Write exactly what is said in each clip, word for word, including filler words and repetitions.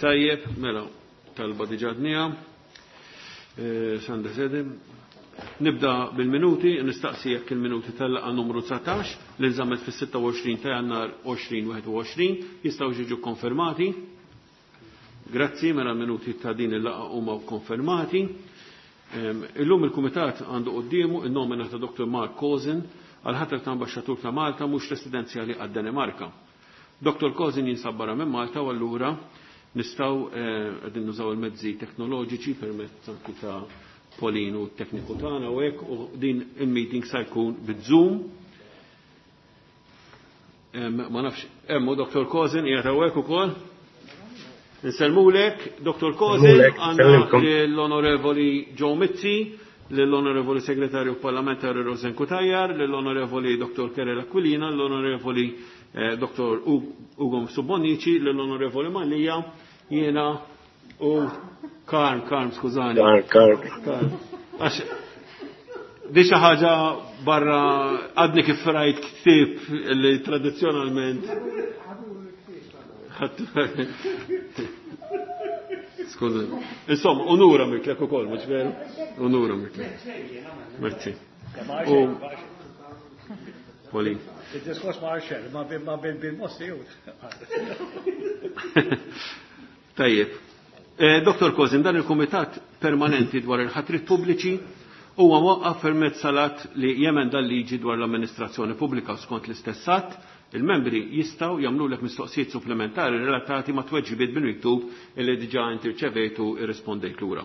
Tajjeb, mela, talba diġà għednieha. Eh, Sanda Sedim. Nibda bil-minuti, nistaqsi jekk il-minuti tal-laqgħa numru dsatax li nżammet fis-sitta u għoxrin ta' Jannar elfejn u wieħed u għoxrin jistgħu jiġu konfermati. Grazzi, mela minuti ta' din il-laqgħa huma konfermati. Illum il-Kumitat għandu quddiemu il-nomina ta' Doktor Mark Kozin għal ħatra ta' ambasċatur ta' Malta mhux residenzjali għad-Danimarka. Doktor Kozin jinsab barra minn Malta u allura nistgħu eh, qegħdin nużaw il-mezzi teknoloġiċi permezz anki ta' Pauline u t-tekniku tagħna u hekk, u din il-meeting sa jkun bit-Zoom. Ma nafx, hemmu Doktor Kozin qiegħed hawnhekk ukoll. Nsellmulek, Doktor Kozin, għandna l-Onorevoli Joe Mizzi, l-Onorevoli Segretarju Parlamentari Rosen Cutajar, l-Onorevoli Doktor Kerel Aquilina, l-Onorevoli eh, Doktor Ugo Subonici, l-Onorevoli Mallia, jiena u Karm, Karm, skużani. Karm, Karm. Għax, di xi ħaġa barra, għadni kif rajt ktib li tradizzjonalment. Skuża. Insomma, unura miklek ukoll, mhux veru? Unura miklek. Merci. U Pauline. Il-diskors ma għarxer, ma bil-mossi. Tajjeb. Eh, Doktor Kozin, dan il-Kumitat Permanenti dwar il-ħatrit pubbliċi huwa mwaqqaf permezz tal-att li jemenda l-liġi dwar l-amministrazzjoni pubblika. Skont l-istess att, il-membri jistgħu jagħmlulek mistoqsijiet supplementari relatati ma' tweġibiet bil-miktub illi diġà inti rċevejtu irrispondejt lura.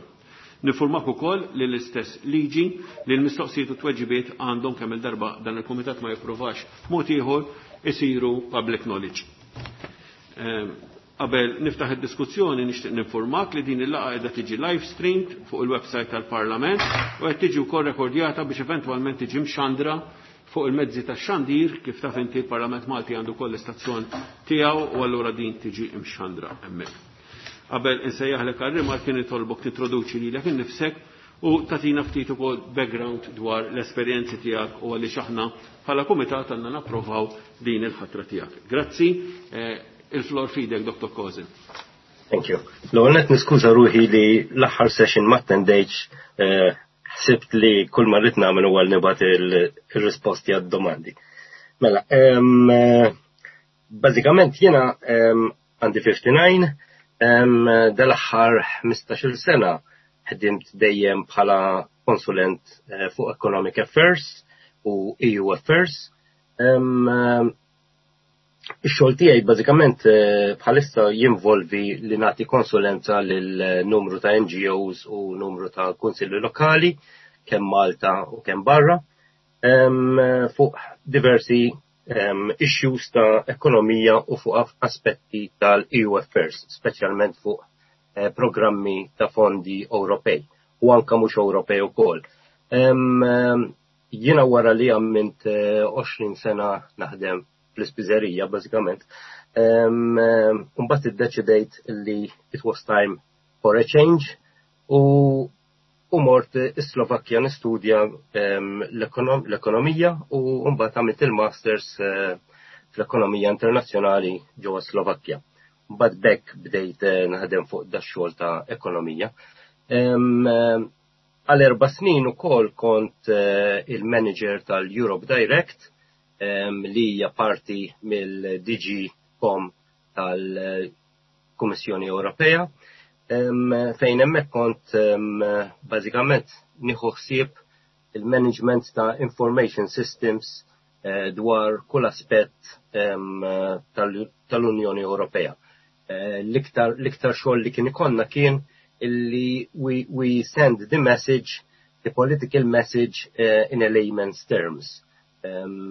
Nifurmak ukoll li l-istess liġi li l-mistoqsijiet u tweġibiet għandhom, kemm il-darba dan il-kumitat ma jippruvax mod ieħor, isiru public knowledge. Ehm, qabel niftaħ id-diskussjoni, nixtieq ninformak li din il-laqgħa qiegħda tiġi live streamed fuq il-website tal-Parlament u qed tiġi wkoll rekordjata biex eventwalment tiġi mxandra fuq il-mezzi tax-xandir. Kif taf inti, il-Parlament Malti għandu koll l-istazzjon tiegħu u allura din tiġi mxandra hemmhekk. Qabel insejjaħlek għal-rimarki, nitolbok tintroduċi lilek innifsek u tagħtina ftit ukoll background dwar l-esperjenzi tiegħek u għaliex aħna bħala kumitat għandna napprovaw din il-ħatra tiegħek. Grazzi, eh, il-flor f'idek, Doktor Kozin. Thank you. L-ewwel nett niskuża ruħi li l-aħħar session ma attendejtx, eh, ħsibt li kull ma rrid nagħmel huwa nibgħat il-risposti għad-domandi. Mela, eh, bażikament jiena għandi ħamsa u ħamsin, dal-aħħar ħmistax-il sena ħdimt dejjem bħala konsulent eh, fuq Economic Affairs u E U Affairs. Ix-xogħol tiegħi bażikament eh, bħalissa jinvolvi li nagħti konsulenza lil numru ta' N G Os u numru ta' kunsilli lokali kemm Malta u kemm barra fuq diversi issues ta' ekonomija u fuq aspetti tal-E U Affairs, speċjalment fuq eh, programmi ta' fondi Ewropej u anka mhux Ewropej ukoll. Jiena wara li għamilt għoxrin eh, sena naħdem fl-ispiżerija bażikament, mbagħad iddeċidejt li it was time for a change u u mort is-Slovakkja nistudja l-ekonomija u mbagħad għamilt il-masters eh, fl-ekonomija internazzjonali ġewwa Slovakkja. Mbagħad bekk bdejt eh, naħdem fuq dax-xogħol ta' ekonomija. Għal erba' snin ukoll kont eh, il-manager tal-Europe Direct, li hija parti mill-D G Com tal-Kummissjoni Ewropea, fejn hemmhekk kont bażikament nieħu ħsieb il-management ta' information systems eh, dwar kull aspett tal-Unjoni Ewropea. Eh, l-iktar xogħol li kien ikollna kien illi we, we send the message, the political message uh, in a layman's terms, Um,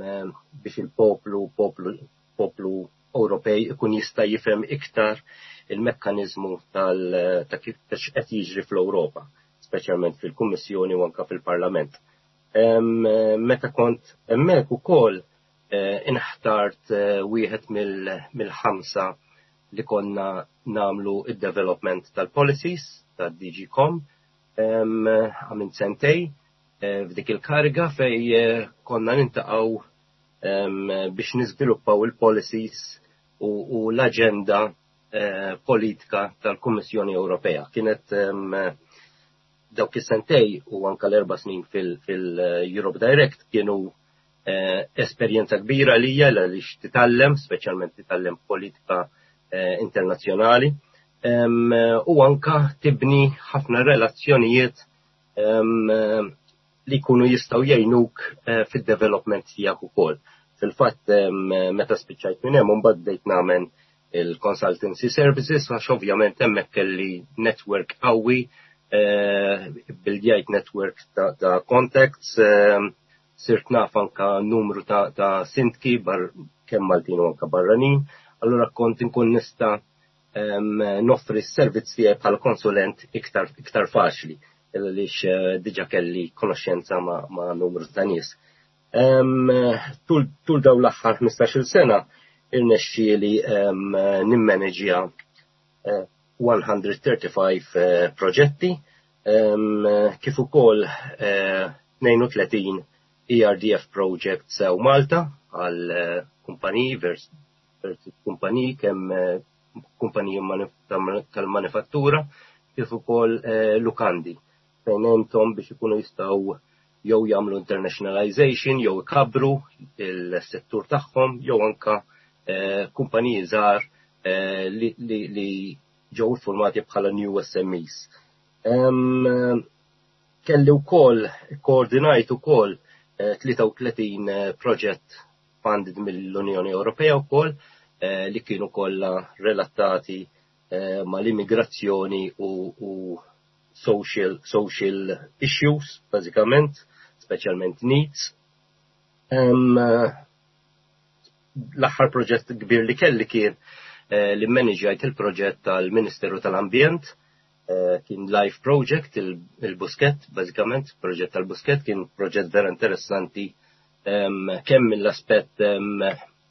biex il-poplu, poplu, poplu Ewropej ikun jista' jifhem iktar il-mekkanizmu tal ta' kif qed jiġri fl-Ewropa, speċjalment fil-Kummissjoni u anka fil-Parlament. Meta kont hemmhekk ukoll eh, inħtart eh, wieħed mill-ħamsa li konna nagħmlu id-development tal-policies tad-D G Com. Għamilt sentejn eh, f'dik il-kariga fej konna niltaqgħu biex niżviluppaw il-policies u l-agenda. eh, politika tal-Kummissjoni Ewropea. Kienet dawk is-sentejn u anka l-erba' snin fil-Europe Direct kienu eh, esperjenza kbira lija għaliex titgħallem, speċjalment titgħallem politika eh, internazzjonali, u anka tibni ħafna relazzjonijiet li jkunu jistgħu jgħinuk eh, fid-development tiegħek ukoll. Fil-fatt, meta spiċċajt minn hemm, mbagħad bdejt nagħmel il-consultancy services, għax ovvjament hemmhekk kelli network qawwi, eh, bildjajt network ta', ta contacts, eh, sirt naf anka numru ta', ta sindki bar kemm Maltin u anka barranin, allura kont inkun nista' noffri s-servizz tiegħi bħala konsulent iktar, iktar faċli għaliex eh, diġa kelli konoxxenza ma', ma numru ta' nies. Tul, tul daw l-aħħar ħmistax-il sena irnexxieli nimmaneġja mija u tlieta u ħamsin eh, proġetti, kif ukoll tnejn u tletin E R D F projects sew Malta għal eh, kumpaniji vers kumpaniji, kemm kumpaniji tal-manifattura kif ukoll lukandi, fejn għenthom biex ikunu jistgħu jew jagħmlu internationalization jew ikabru il-settur tagħhom, jew anka eh, kumpaniji żgħar eh, li, li, li ġew formati bħala new S M Es. Kelli wkoll koordinajt ukoll tlieta u tletin eh, proġett funded mill-Unjoni Ewropea wkoll, li kienu kollha relatati mal-immigrazzjoni u, u social, social issues, bażikament, speċjalment needs. Um, l-aħħar proġett kbir li kelli kien eh, li manaġjajt il-proġett tal-Ministeru tal-Ambjent, eh, kien live project, il-Buskett, bażikament, proġett tal-Buskett, kien proġett vera interessanti um, kemm mill-aspett um,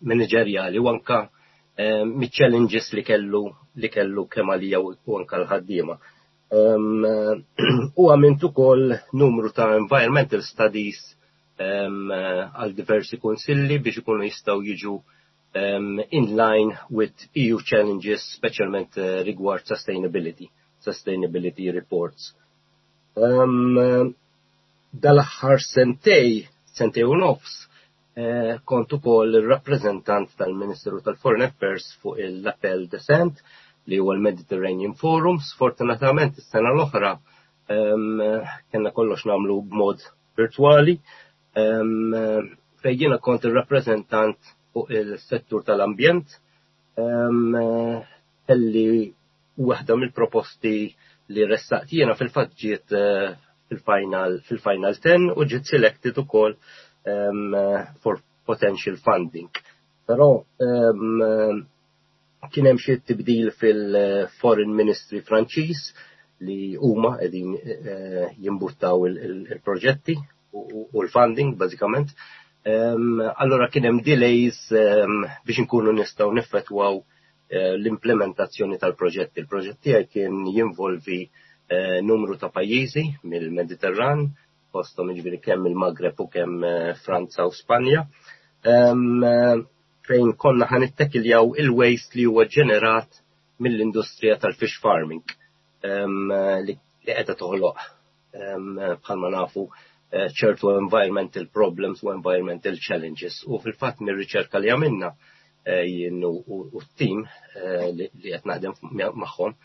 manageriali u anka um, mit-challenges li kellu li kellu kemm għalija u anka l-ħaddiema. Um, u għamilt ukoll numru ta' environmental studies għal diversi konsilli biex ikunu jistgħu jiġu um, in line with E U challenges, speċjalment uh, rigward sustainability, sustainability reports. Um, dal-aħħar sentejn, sentejn u nofs, eh, kont ukoll il-rappreżentant tal-Ministeru tal-Foreign Affairs fuq l-Appel de Saintes, li huwa l-Mediterranean Forum. Sfortunatament is-sena l-oħra um, kellna kollox nagħmlu b'mod virtuali, um, fejn jiena kont il-rappreżentant fuq il-settur tal-ambjent. Um, kelli waħda mill-proposti li ressaqt jiena fil-fatt ġiet uh, fil-final fil-final ten u ġiet selected ukoll um, for potential funding. Però um, kien hemm xi tibdil fil-Foreign Ministry Franċiż li huma qegħdin eh, jimbuttaw il-proġetti u l-funding bażikament. Allora kien hemm delays biex inkunu nistgħu neffettwaw eh, l-implementazzjoni tal-proġetti. Il-proġett tiegħi kien jinvolvi eh, numru ta' pajjiżi mill-Mediterran, fosthom jiġifieri kemm il-Magreb u kemm Franza u Spanja, fejn konna ħa nittekiljaw il-waste li huwa ġenerat mill-industrija tal-fish farming li qiegħda toħloq, bħalma nafu, eh, ċertu environmental problems u environmental challenges. U fil-fatt mir-riċerka li għamilna eh, jien u t-team eh, li qed naħdem magħhom,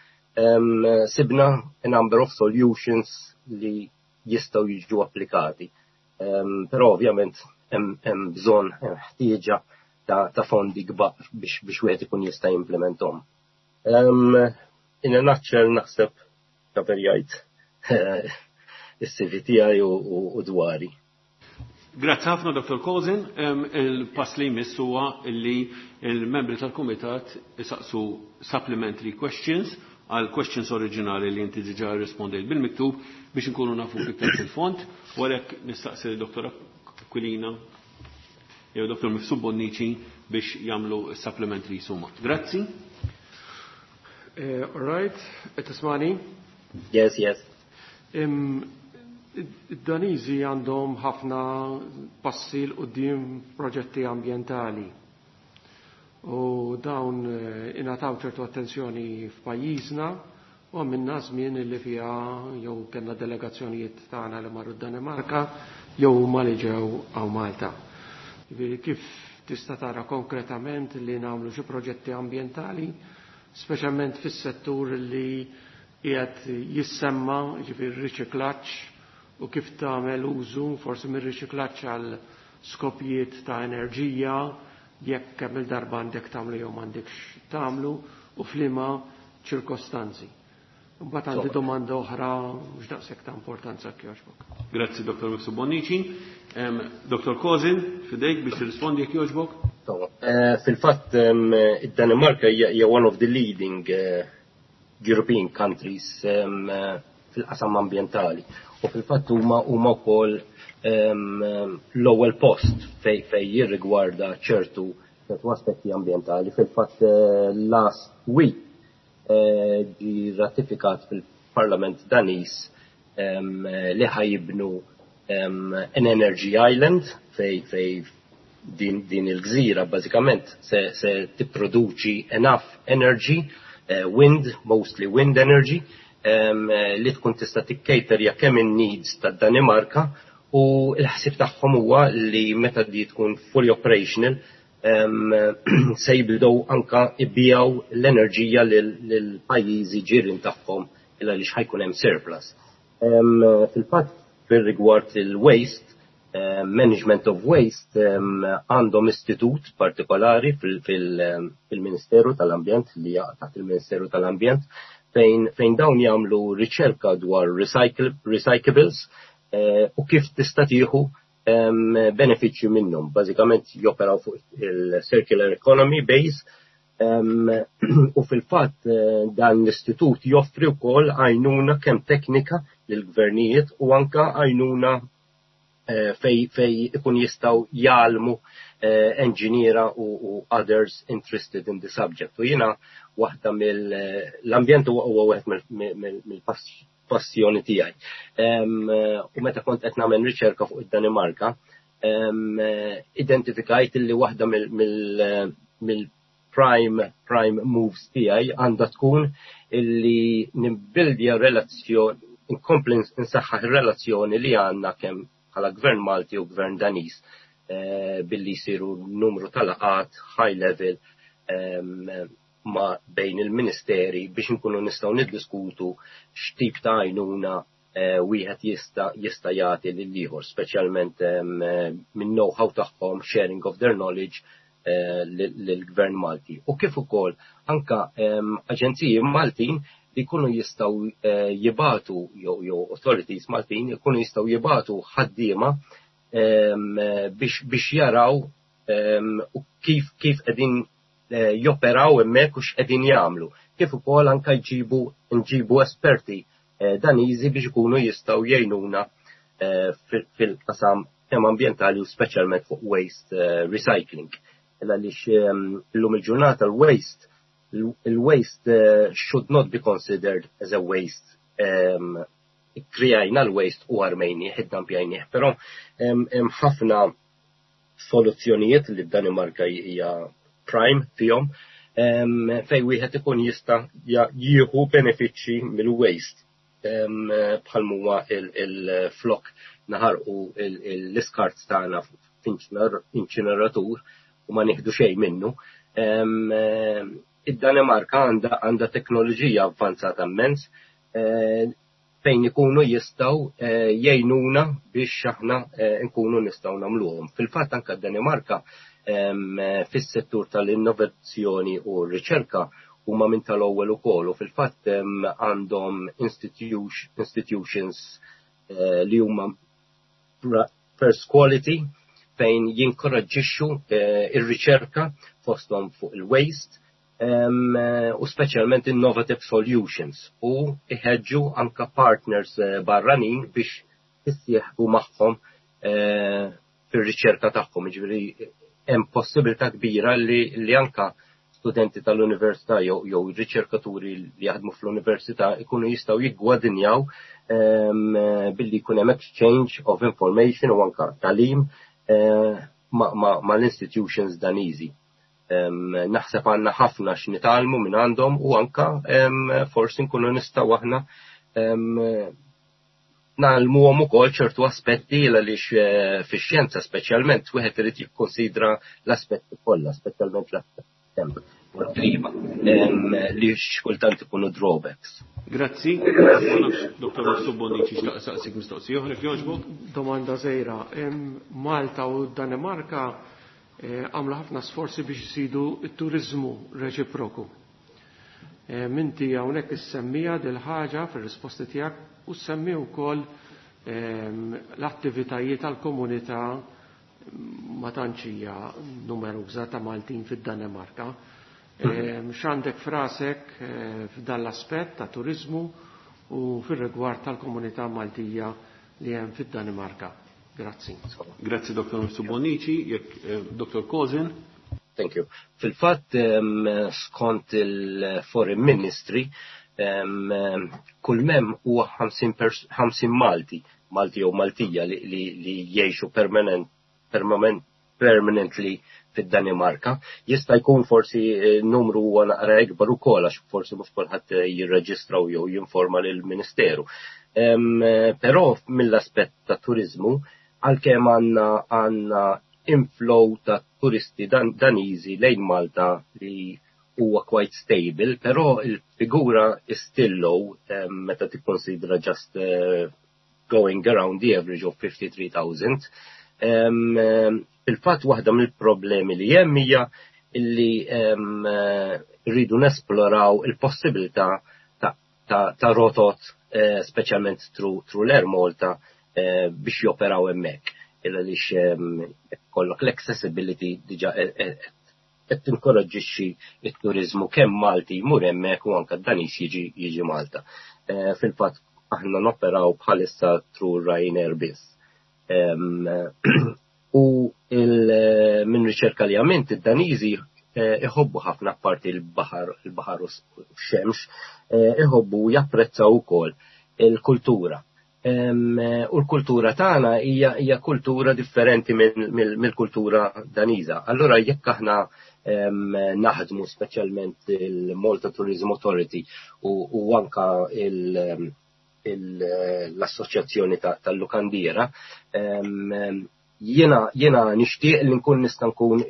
sibna a number of solutions li jistgħu jiġu applikati. Però ovvjament hemm bżonn, ħtieġa ta', ta fondi kbar biex, biex wieħed ikun jista' jimplementhom. Um, in a nutshell, naħseb kaperjajt is-C V tiegħi u, u, u dwari. Grazzi ħafna, Dottor Kozin. Il-pass li jmiss huwa li il-membri tal-Kumitat isaqsu supplementary questions għal questions oriġinali li inti diġà rispondejt bil-miktub biex inkunu nafu iktar fil-fond. U għalhekk nistaqsi Dottor Aquilina jew Dottor Mifsud Bonnici biex jagħmlu supplementary suma. Grazzi. Uh, all right, tismagħni? Yes, yes. Id-Daniżi għandhom ħafna passi 'l quddiem proġetti ambientali. U dawn eh, ingħataw ċertu attenzjoni f'pajjiżna u għamilna żmien li fiha jew kellna delegazzjonijiet tagħna li marru d-Danimarka jew huma li ġew hawn Malta. Ġifieri kif tista' tara konkretament li nagħmlu xi proġetti ambjentali, speċjalment fis-settur li qiegħed jissemma, ġifieri riċiklaġġ u kif tagħmel użu forsi mir-riċiklaġġ għal skopijiet ta' enerġija, jekk kemm il-darba għandek tagħmlu jew m'għandekx tagħmlu u f'liema ċirkostanzi. Mbagħad għandi domanda oħra mhux daqshekk ta' importanza jogħġbok. Grazzi Dottor Mifsud Bonnici. Dottor Kozin, fidejk biex tirrispondi jekk jogħġbok. Eh, fil-fatt id-Danimarka hija one of the leading eh, European countries eh, fil-qasam ambjentali. U fil-fatt huma huma wkoll l-ewwel post fej fej jirrigwarda ċertu ċertu aspetti ambjentali. Fil-fatt last week ġi ratifikat fil-Parlament Daniż li ħa jibnu an energy island fej fej din, din il-gżira bażikament se, se tipproduċi enough energy, uh, wind, mostly wind energy, um, li tkun tista' tikkaterja kemm in-needs tad-Danimarka u l-ħsib tagħhom huwa li meta di tkun fully operational um, se jibdew anka ibigħu l-enerġija lil pajjiżi ġirien tagħhom illa li ħa jkun hemm surplus. Um, fil-fatt fir-rigward il-waste, uh, management of waste, għandhom um, istitut partikolari fil-Ministeru tal-Ambjent li taħt il-Ministeru tal-Ambjent fejn, fejn dawn jagħmlu riċerka dwar recycle, recyclables uh, u kif tista' tieħu um, benefiċċju minnhom. Bażikament joperaw fuq il-circular economy base um, u fil-fatt uh, dan l-istitut joffri wkoll għajnuna kemm teknika lill-gvernijiet u anka għajnuna uh, fej, fej ikun jistgħu jgħallmu uh, engineera u, u others interested in the subject. U jiena waħda mill-ambjent huwa wieħed mill-passjoni tiegħi. U meta kont qed nagħmel riċerka fuq id-Danimarka, identifikajt li waħda mill prime prime moves tiegħi għandha tkun illi nibbildja relazzjoni, inkompli nsaħħaħ ir-relazzjoni li għandna kemm bħala gvern Malti u gvern Daniż billi jsiru numru tal-laqgħat high level ma bejn il-ministeri biex nkunu nistgħu niddiskutu x'tip ta' għajnuna wieħed jista' jista' jagħti lil ieħor, speċjalment minn know-how tagħhom, sharing of their knowledge lill-Gvern Malti. U kif ukoll anka aġenziji Maltin li jkunu jistgħu jibagħtu jew jew authorities Maltin jkunu jistgħu jibagħtu ħaddiema biex biex jaraw u kif kif qegħdin joperaw hemmhekk u x'qegħdin jagħmlu. Kif ukoll anka jġibu nġibu esperti Daniżi biex ikunu jistgħu jgħinuna fil-qasam kemm ambjentali u speċjalment fuq waste recycling. Illa għaliex illum il-ġurnata l-waste il-waste should not be considered as a waste. Krejajna l-waste u armejnieh, iddampjajnieh, però hemm ħafna soluzzjonijiet li d-Danimarka hija prime fihom fej wieħed ikun jista' jieħu benefiċċji mill-waste bħal huwa il-flok naħarqu l-iskart tagħna f'inċineratur u ma nieħdu xejn minnu. Id-Danimarka għandha għandha teknoloġija avvanzata immens fejn ikunu jistgħu jgħinuna biex aħna nkunu nistgħu nagħmluhom. Fil-fatt anke d-Danimarka fis-settur tal-innovazzjoni u r-riċerka huma minn tal-ewwel ukoll u fil-fatt għandhom institutions li huma first quality fejn jinkoraġġixxu ir-riċerka fosthom fuq il-waste u speċjalment innovative solutions u iħeġġu anka partners barranin biex jissieħbu magħhom fir-riċerka tagħhom. Jiġifieri hemm possibilità kbira li, li anka studenti tal-università jew jew riċerkaturi li jaħdmu fl-università ikunu jistgħu jiggwadinjaw um, billi jkun hemm exchange of information u anka tagħlim uh, ma, ma, ma l-institutions Daniżi. Naħseb għandna ħafna x'nitgħallmu minn għandhom u anka forsi nkunu nistgħu aħna ngħallmuhom ukoll ċertu aspetti, għaliex eh, fix-xjenza speċjalment wieħed irid jikkonsidra l-aspetti kollha, speċjalment l-temp u l-klima, li xkultant ikunu drawbacks. Grazzi. Doktor Mifsud Bonnici xtaq saqsik mistoqsija oħra, jogħġbok. Domanda żgħira. Malta u Danimarka eh, għamlu ħafna sforzi biex jisidu t-turizmu reċiproku. Minti hawnhekk issemmija dil-ħaġa fir-risposti tiegħek u semmi wkoll l-attivitajiet tal-komunità, ma tantx hija numeruża, ta' Maltin fid-Danimarka. X'għandek f'rasek eh, f'dan l-aspett ta' turizmu u fir-rigward tal-komunità Maltija li hemm fid-Danimarka? Grazzi. Grazzi, Doktor Mifsud Bonnici, jekk eh, Doktor Kozin. Thank you. Fil-fatt, skont il-Foreign Ministry, kull mem huwa ħamsin Malti, Malti jew Maltija li, li, li jgħixu permanent, permanent, permanently fid-Danimarka. Jista' jkun forsi eh, numru huwa naqra ikbar ukoll, għax forsi mhux kulħadd jirreġistraw jew jinforma lill-Ministeru. Però mill-aspett ta' turizmu, għalkemm għandna għandna inflow ta' turisti dan, Daniżi lejn Malta li huwa quite stable, però il-figura is still low um, meta tikkonsidra just uh, going around the average of fifty-three thousand. Um, um, Fil-fatt waħda mill-problemi li hemm hija illi um, rridu nesploraw il-possibilità ta', ta, ta rotot, eh, speċjalment through, through l-Air Malta, eh, biex joperaw hemmhekk. Illa lix kollok l-accessibility diġa qed tinkoraġġixxi it-turizmu, kemm Malti jmur hemmhekk u anke Daniż jiġi jiġi Malta. Eh, fil-fatt aħna noperaw bħalissa through Ryanair biss. U minn riċerka li għamilt, id-Daniżi eh, iħobbu ħafna, parti l-baħar, il-baħar u x-xemx, eh, iħobbu japprezzaw ukoll il-kultura. U l-kultura tagħna hija hija kultura differenti mill-kultura Daniża. Allura jekk aħna naħdmu, speċjalment il-Malta Tourism Authority u, u anka l-Assoċjazzjoni tal-Lukandiera, jiena jiena nixtieq li nkun nista' nkun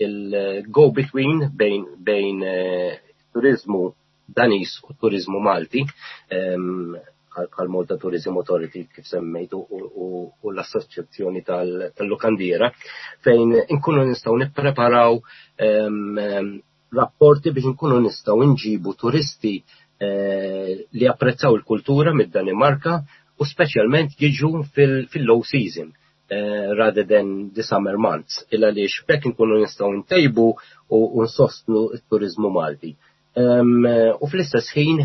il-go between bejn bejn eh, turizmu Daniż u turizmu Malti, bħal Malta Tourism Authority kif semmejtu u l-Assoċjazzjoni tal-Lukandiera, fejn inkunu nistgħu nippreparaw rapporti biex nkunu nistgħu nġibu turisti eh, li apprezzaw il-kultura mid-Danimarka u speċjalment jiġu fil-low season eh, rather than the summer months, illa li xbek nkunu nistgħu ntejbu u nsostnu t-turizmu Malti. U fl-istess ħin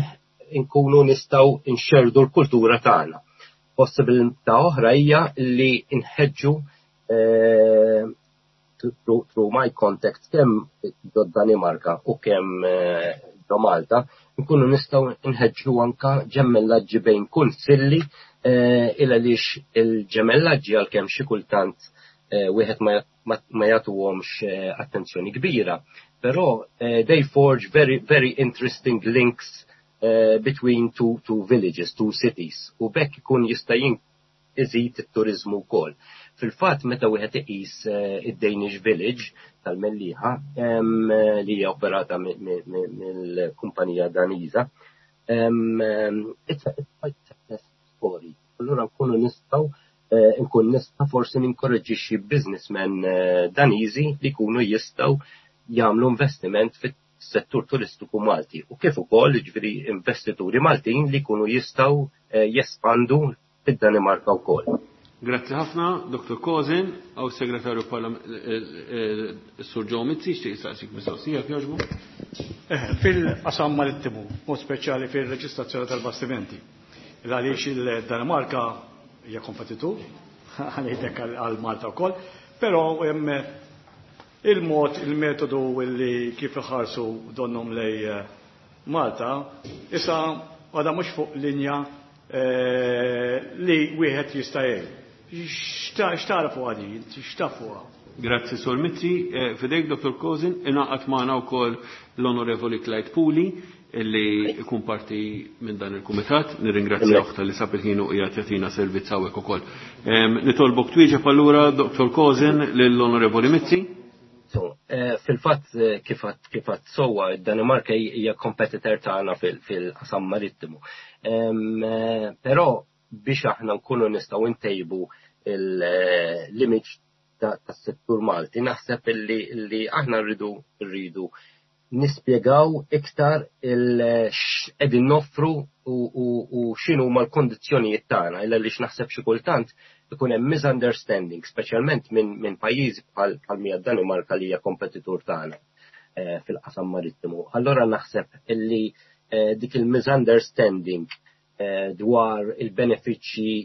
nkunu nistgħu nxerdu l-kultura tagħna. Possibilità oħra hija li nħeġġu eh, through my contact kemm ġo Danimarka u kemm eh, ġo Malta, nkunu nistgħu nħeġġu anka ġemmellaġġi bejn kunsilli, eh, il għaliex il-ġemellaġġi, għalkemm xi kultant wieħed ma jagħtuhomx attenzjoni kbira, però they forge very, very interesting links uh, between two, two villages, two cities, u bekk ikun jista' iżid it-turizmu wkoll. Fil-fatt meta wieħed iqis uh, id-Danish Village tal-Mellieħa um, li hija operata mill-kumpanija Daniża, um, it's a quite success story. Allura nkunu nistgħu uh, nkun nista' forsi ninkoraġġixxi businessmen uh, Daniżi li jkunu jistgħu jagħmlu investiment fit settur turistiku Malti u kif ukoll, jiġifieri, investituri Maltin li jkunu jistgħu eh, jespandu fid-Danimarka wkoll. Grazzi ħafna, Doktor Kozin, għaw segretarju eh, eh, Sur Joe Mizzi, xtieq jistaqsik mistoqsija, jogħġbu. Fil-qasam marittimu, mod speċjali fil-reġistrazzjoni tal-bastimenti. Għaliex il-Danimarka hija kompetitur, għalidek għal Malta wkoll, però il-mod, il-metodu li kif iħarsu donnom lej eh, Malta, issa għada mhux fuq linja eh, li wieħed jista' jgħid. X'tara fuq għadi, x'taf fuqha? Grazzi, Sur Mizzi. Eh, f'idejk, Dottor Kozin, ingħaqad magħna wkoll l-Onorevoli Clyde Puli, illi jkun parti minn dan il-kumitat. Nirringrazzjah talli sab il-ħin u qiegħed jagħtina servizz hawnhekk ukoll. Nitolbok twieġeb allura, Dottor Kozin, lill-Onorevoli Mizzi. So, eh, fil-fatt eh, kif għedt sewwa, id-Danimarka hija competitor tagħna fil-qasam marittimu. Eh, però biex aħna nkunu nistgħu ntejbu l-image tas-settur Malti, naħseb illi aħna rridu rridu nispjegaw iktar x'qegħdin noffru u x'inhu l-kondizzjonijiet tagħna, illa li naħseb xi kultant ikun hemm misunderstanding, speċjalment minn min pajjiżi bħal bħal Danimarka li hija kompetitur tagħna eh, fil-qasam marittimu. Allora naħseb illi eh, dik il-misunderstanding eh, dwar il-benefiċċji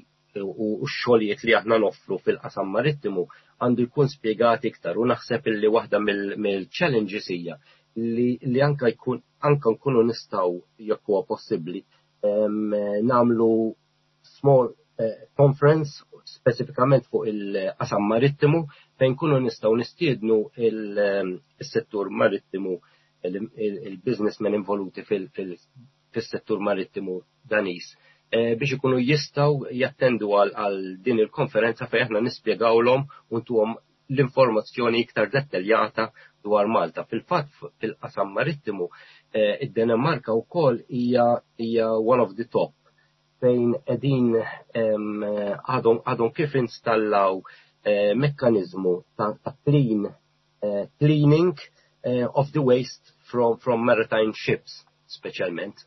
u x-xogħlijiet li aħna noffru fil-qasam marittimu għandu jkun spjegat iktar, u naħseb illi waħda mill-challenges hija li, li anka jkun anka nkunu nistgħu, jekk huwa possibbli, nagħmlu small eh, conference speċifikament fuq il-qasam marittimu fejn kunu nistgħu nistiednu il-settur marittimu, il-businessmen involuti fil-settur marittimu Danis eh, biex ikunu jistgħu jattendu għal din il-konferenza fejn aħna nispjegawlhom u ntuhom l-informazzjoni iktar dettaljata dwar Malta. Fil-fatt, fil-qasam marittimu eh, id-Danimarka wkoll hija hija one of the top, fejn qegħdin għadhom għadhom kif installaw eh, mekkanizmu ta' clean eh, cleaning of the waste from, from maritime ships speċjalment.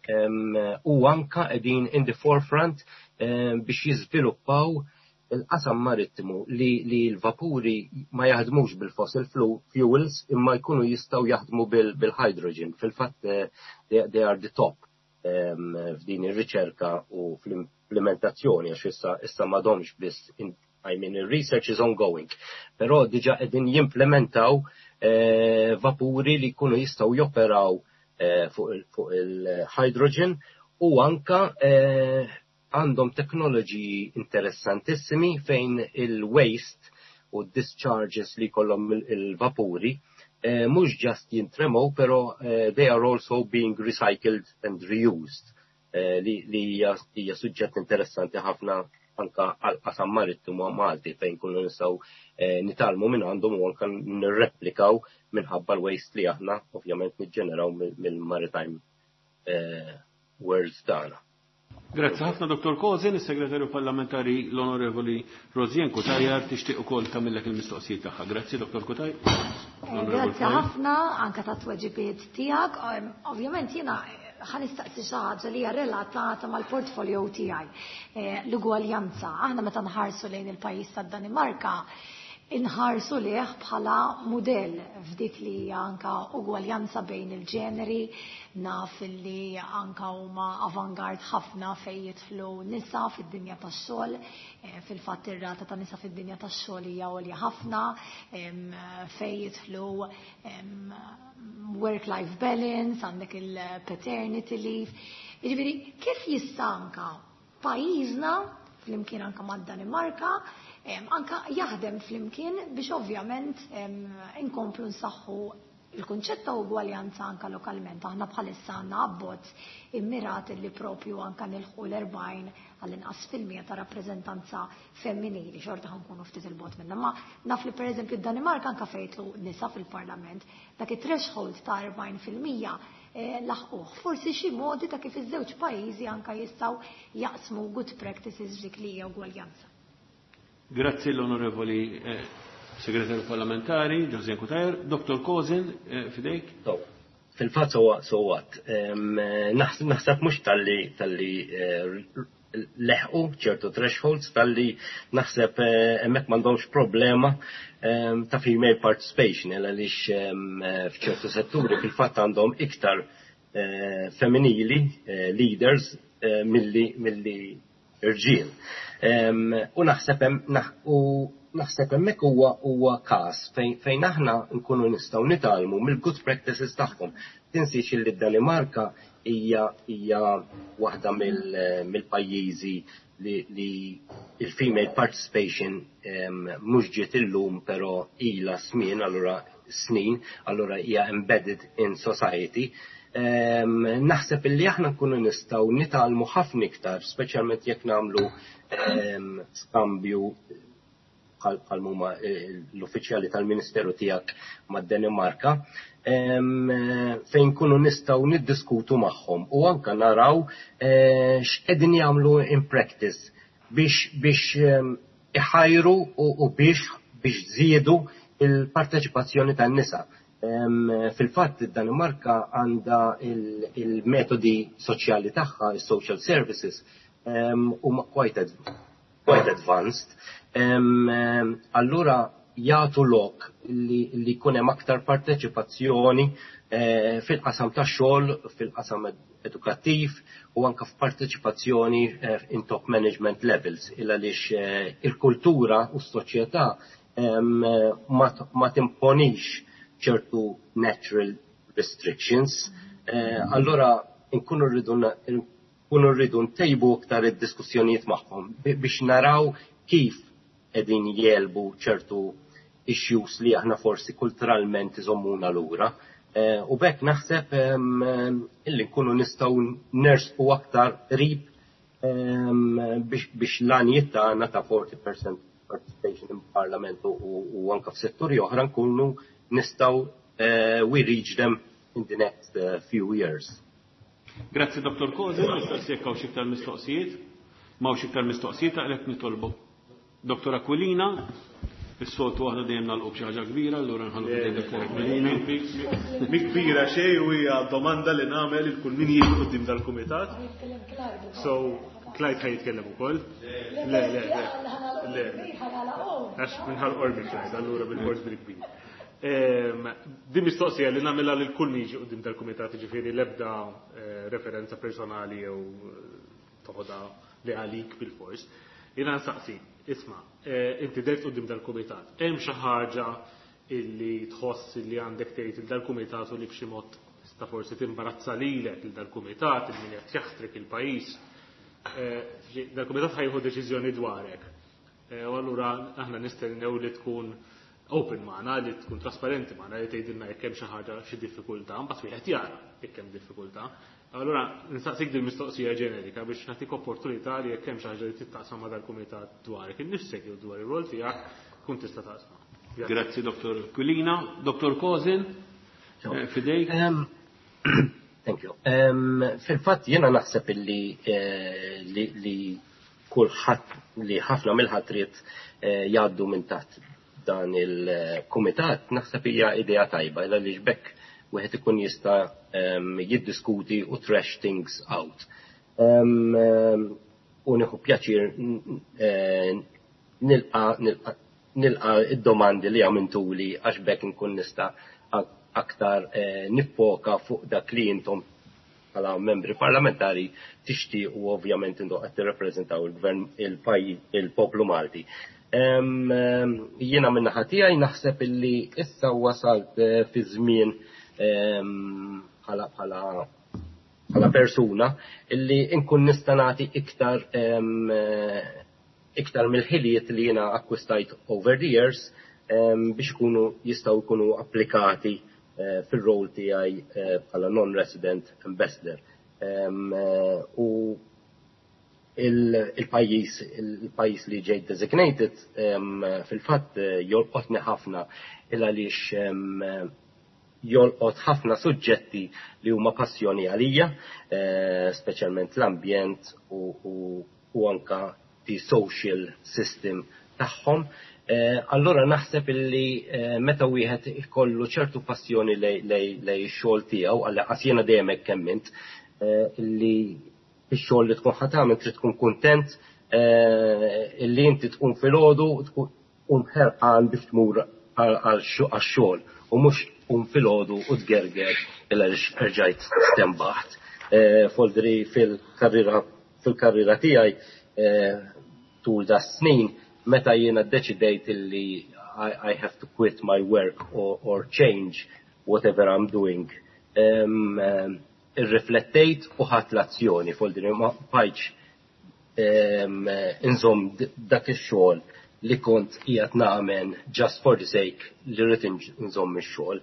U anka qegħdin in the forefront biex jiżviluppaw il-qasam marittimu li, li l-vapuri ma jaħdmux bil-fossil fuels imma jkunu jistgħu jaħdmu bil-hydrogen. Fil-fatt eh, they, they are the top f'din ir-riċerka u fl-implementazzjoni, għax issa issa m'għadhomx biss, I mean, the research is ongoing. Però diġa qegħdin jimplementaw eh, vapuri li jkunu jistgħu joperaw eh, fuq il-hydrogen u anka għandhom teknoloġiji interessantissimi fejn il-waste u discharges li kollhom il-vapuri eh, mhux just jintremow, pero eh, they are also being recycled and reused, eh, li hija suġġett interessanti ħafna anka għal qasam marittimu Malti fejn kullu nistgħu eh, nitgħallmu minn għandhom u anka nirreplikaw minħabba l-waste li aħna ovvjament niġġeneraw mill-maritime eh, worlds tagħna. Grazzi ħafna, Dottor Kozin. Is-Segretarju Parlamentari l-Onorevoli Rosianne Cutajar tixtieq ukoll tagħmillek il-mistoqsijiet tagħha. Grazzi, Dottor Cutajar. Eh, grazzi ħafna anka ta' tweġibiet tiegħek. Ovvjament jiena ħa nistaqsi xi ħaġa li hija relatata mal-portfolio tiegħi. Eh, l-ugwaljanza. Aħna meta nħarsu lejn il-pajjiż tad-Danimarka, inħarsu lejh bħala mudell f'dik li hija anka ugwaljanza bejn il-ġeneri. Naf li anka huma avangard ħafna fejn jidħlu nisa fid-dinja tax-xogħol, eh, fil-fatt ir-rata ta' nisa fid-dinja tax-xogħol hija għolja ħafna, fejn jidħlu work-life balance, għandek il-paternity leave. Jiġifieri, kif jista' anka pajjiżna flimkien anka mad-Danimarka anka jaħdem flimkien biex ovvjament inkomplu nsaħħu il-kunċett ta' ugwaljanza anka lokalment? Aħna bħalissa għandna abbozz immirat li propju anka nilħqu l-erbgħin għall-inqas fil-mija ta' rappreżentanza femminili, xorta ħa nkunu ftit 'il bogħod minna. Ma naf li, per eżempju, Danimarka anka fejn jidħlu nisa fil-parlament, dak it-threshold ta' erbgħin fil-mija eh, laħquh. Forsi xi modi ta' kif iż-żewġ pajjiżi anka jistgħu jaqsmu good practices dik li hija ugwaljanza. Grazzi l-Onorevoli eh, Segretarju Parlamentari, Josianne Cutajar. Dottor Kozin, eh, f'idejk. Fil-fatt so so what? Naħseb mhux talli talli eh, leħqu ċertu thresholds, talli naħseb hemmhekk m'għandhomx problema ta' female participation, għaliex f'ċertu setturi fil-fatt għandhom iktar femminili leaders milli milli irġiel. U naħseb u naħseb hemmhekk huwa huwa każ fejn aħna nkunu nistgħu nitgħallmu mill-good practices tagħhom. Tinsiex li d-Danimarka hija hija waħda mill-pajjiżi li, li il-female participation mhux ġiet illum, però ilha żmien, allura snin, allura hija embedded in society. Naħseb illi aħna nkunu nistgħu nitgħallmu ħafna iktar, speċjalment jekk nagħmlu skambju bħal huma l-uffiċjali tal-Ministeru tiegħek mad-Danimarka, fejn kunu nistgħu niddiskutu magħhom u anka naraw eh, x'qegħdin jagħmlu in practice biex biex iħajru u biex biex żiedu il-parteċipazzjoni tan-nisa. Fil-fatt, id-Danimarka għandha il-metodi soċjali tagħha, il-social services, huma quite quite advanced. Allura jagħtu lok li, li jkun hemm aktar parteċipazzjoni eh, fil-qasam tax-xogħol, fil-qasam edukattiv u anka f'parteċipazzjoni eh, in top management levels, il għaliex eh, il-kultura u s-soċjetà ma timponix ċertu natural restrictions. Allora nkunu rridu nkunu rridu ntejbu aktar id-diskussjonijiet magħhom biex naraw kif qegħdin jegħlbu ċertu issues li aħna forsi kulturalment iżommuna lura. Eh, u b'hekk naħseb illi nkunu nistgħu nersqu aktar qrib biex l-għanijiet tagħna ta' forty percent participation in parliament u anka f'setturi oħra nkunu nistgħu eh, we reach them in the next eh, few years. Grazzi, Dottor Kozin. Nistaqsi jekk hawn iktar mistoqsijiet. M'hawnx iktar mistoqsijiet, għalhekk nitolbu. Dottor Aquilina, is-soltu aħna dejjem nagħlqu b'xi ħaġa kbira, allura nħallu f'idejn Dottor Aquilina. Mi kbira xejn u hija domanda li nagħmel il kull min jiġi quddiem dal-kumitat. So, Clyde ħa jitkellem ukoll? Le, le, le. Le. Għax minħal qormi Clyde, allura bil-fors bil-kbir. Din mistoqsija li nagħmilha lil kull min jiġi quddiem dal-kumitat, ġifieri l-ebda eh, referenza personali jew eh, toħodha li għalik bil-fors. Jiena nsaqsi, isma', eh, inti dhert quddiem dal-kumitat, hemm xi ħaġa illi tħoss illi għandek tgħid il dal-kumitat u li b'xi mod tista' forsi timbarazza lilek, il dal-kumitat, il min qed jaħtrek, il-pajjiż? Dal-kumitat ħa jieħu deċiżjoni dwarek. U allura aħna nistennew li tkun open magħna, li tkun trasparenti magħna, li tgħidilna jekk hemm xi ħaġa, xi diffikultà, mbagħad wieħed jara jekk hemm diffikultà. Allura nistaqsik din mistoqsija ġenerika biex nagħtik opportunità li jekk hemm xi ħaġa li taqsam ma' dal-kumitat dwarek innifsek jew dwar ir-rol tiegħek, tkun tista' taqsam. Grazzi, Dottor Aquilina. Dottor Kozin, eh, f'idejk. Thank you. Um, Fil-fatt jiena naħseb illi eh, li, li kulħadd li ħafna mill-ħatriet eh, jgħaddu minn taħt dan il-kumitat, naħseb hija idea tajba għaliex b'hekk wieħed ikun jista' um, jiddiskuti u thrash things out. Um, u nieħu pjaċir eh, nilqa nilqa id-domandi li għamiltuli għax b'hekk nkun nista' aktar eh, niffoka fuq dak li intom bħala membri parlamentari tixtiequ, ovvjament intom qed tirrappreżentaw il-gvern, il-poplu Malti. Jiena minn naħa tiegħi naħseb illi issa wasalt eh, fi żmien bħala bħala bħala persuna illi nkun nista' nagħti iktar eh, iktar mill-ħiliet li jiena akkwistajt over the years biex ikunu jistgħu jkunu applikati eh, fil-rol tiegħi bħala non-resident ambassador. U il-pajjiż il-pajjiż li ġejt designated fil-fatt eh, jolqotni ħafna il għaliex jolqot ħafna suġġetti li huma passjoni għalija, eh, speċjalment l-ambjent u, u anka the social system tagħhom. Eh, allora naħseb illi meta wieħed ikollu ċertu passjoni lejn ix-xogħol tiegħu, għal jiena dejjem hekk emmint, illi ix-xogħol li tkun ħa tagħmel trid tkun kuntent eh, illi inti tkun filgħodu tkun ħerqan biex tmur għax-xogħol u mhux tqum filgħodu u tgerger illa rġajt stenbaħt. Eh, foldri fil-karriera fil-karriera tiegħi eh, tul da snin meta jiena ddeċidejt illi I, I have to quit my work or, or change whatever I'm doing. Um, um, irriflettejt u ħadt l-azzjoni fuq din ma bqajtx inżomm dak ix-xogħol li kont qiegħed nagħmel just for the sake li rrid inżomm ix-xogħol.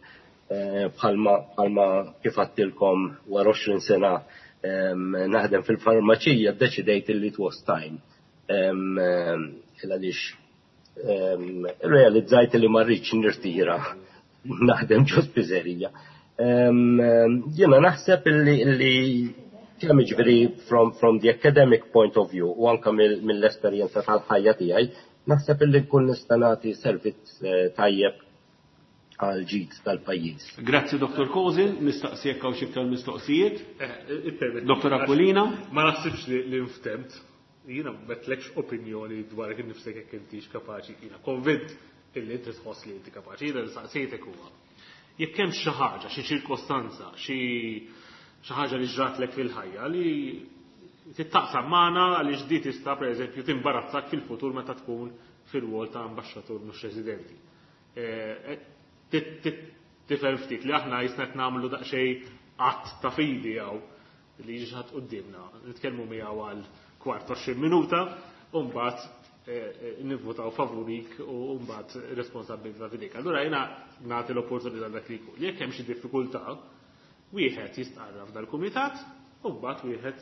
Bħalma bħalma kif għedtilkom wara għoxrin sena naħdem fil-farmaċija ddeċidejt li it was time. Għaliex realizzajt li ma rridx nirtira naħdem ġo spiżerija. Jiena naħseb li kemm jiġifieri from, from the academic point of view u anke mill-esperjenza tal-ħajja tiegħi, naħseb illi nkun nista' nagħti servizz tajjeb għal ġid tal-pajjiż. Grazzi Dottor Kozin, nistaqsi jekk hawn xi iktar mistoqsijiet. Dottor Aquilina. Ma naħsibx li nftemt. Jiena m'għedtlekx opinjoni dwar kif nifsek jekk intix kapaċi. Jiena konvint illi inti tħoss li inti kapaċi. Jiena nistaqsejtek huwa. Jekk hemm xi ħaġa, xi ċirkostanza, xi xi ħaġa li ġratlek fil-ħajja li tittaqsam magħna għaliex di tista' pereżempju timbarazzak fil-futur meta tkun fil-wol ta' ambaxxatur mhux residenti. Tifhem ftit li aħna jisna qed nagħmlu daqsxejn att ta' fidi jew li jiġi ħadd quddiemna, nitkellmu miegħu għal kwart għoxrin minuta u mbagħad nivvutaw favorik u mbagħad responsabilità f'idejk. Allura jiena nagħti l-opportunità dak li jkun. Jekk hemm xi diffikultà, wieħed jistqarra f'dal-kumitat u mbagħad wieħed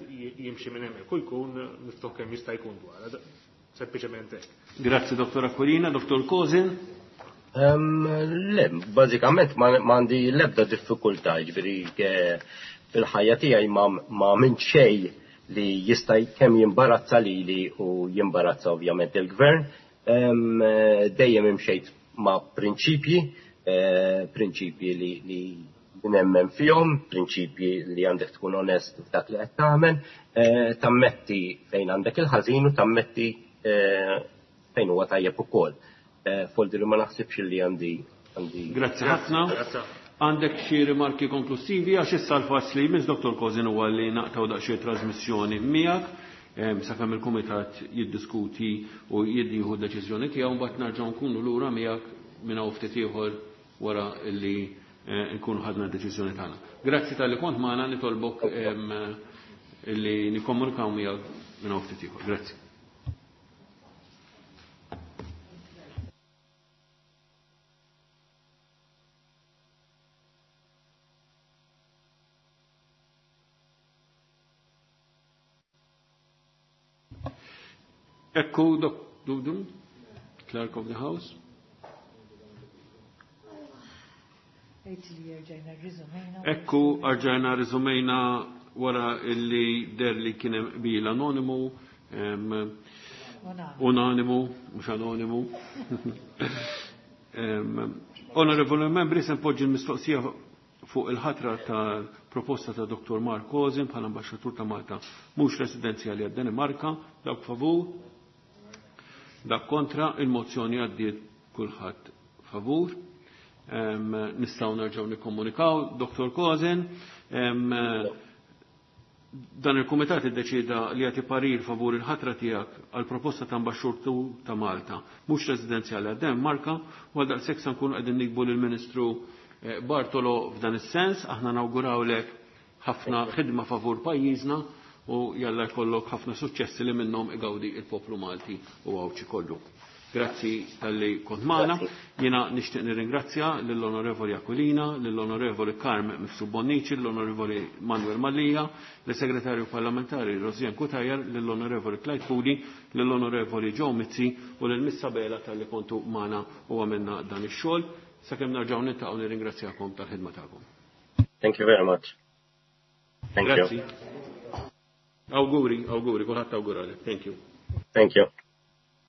jimxi minn hemmhekk u jkun miftuħ kemm jista' jkun dwar. Sempliċement hekk. Grazzi Dottor Aquilina, Dottor Kozin. Le, bażikament ma għandi l-ebda diffikultà, jiġifieri fil-ħajja tiegħi ma minn xejn li jista' kemm jimbarazza lili u jimbarazza ovvjament il-gvern. Dejjem imxejt ma' prinċipji, prinċipji li nemmen fihom, prinċipji li għandek tkun onest f'dak li qed tagħmel, tammetti fejn għandek il-ħażin u tammetti fejn huwa tajjeb ukoll. Foldi li ma naħsibx li għandi. Grazzi ħafna. Għandek xi rimarki konklusivi għax issa l-fass li jmiss Dottor Kozin huwa li naqtaw daqsxejn trasmissjoni miegħek sakemm il-kumitat jiddiskuti u jieħu deċiżjoni tiegħu mbagħad nerġgħu nkunu lura miegħek minn hawn ftit ieħor wara li nkunu ħadna d-deċiżjoni tagħna. Grazzi talli kont magħna, nitolbok li nikkomunikaw miegħek minn hawn ftit ieħor. Grazzi. Ekku, Dudum, Clerk of the House. Ekku, arġajna riżumejna wara illi der li kien hemm qbil anonimu, unanimu, mhux anonimu. Onorevoli membri, se npoġġi l-mistoqsija fuq il-ħatra ta' proposta ta' Dottor Mark Kozin bħala ambaxxatur ta' Malta mhux residenzjali għad-Danimarka. Dak favur, dak kontra, il-mozzjoni għaddiet kulħadd favur. Nistgħu nerġgħu nikkomunikaw. Dottor Kozin, dan il-kumitat iddeċida li jagħti parir favur il-ħatra tiegħek għal proposta ta' ambaxxatur ta' Malta mhux residenzjali għad-Danimarka, u għal daqshekk se nkunu qegħdin nikbu lill-Ministru Bartolo f'dan is-sens. Aħna nawgurawlek ħafna ħidma favur pajjiżna u jalla jkollok ħafna suċċessi li minnhom igawdi il-poplu Malti u Għawdxi kollu. Grazzi talli kont magħna. Jiena nixtieq nirringrazzja lill-Onorevoli Aquilina, lill-Onorevoli Carm Mifsud Bonnici, lill-Onorevoli Manuel Mallia, lis-Segretarju Parlamentari Rosianne Cutajar, lill-Onorevoli Clyde Puli, lill-Onorevoli Joe Mizzi u lil Miss Sabela talli kontu magħna u għamilna dan ix-xogħol. Sakemm nerġgħu niltaqgħu nirringrazzjakom tal-ħidma tagħkom. Thank you very much. Thank Grazzi. you. Auguri, auguri, kulħadd awguralek. Thank you. Thank you.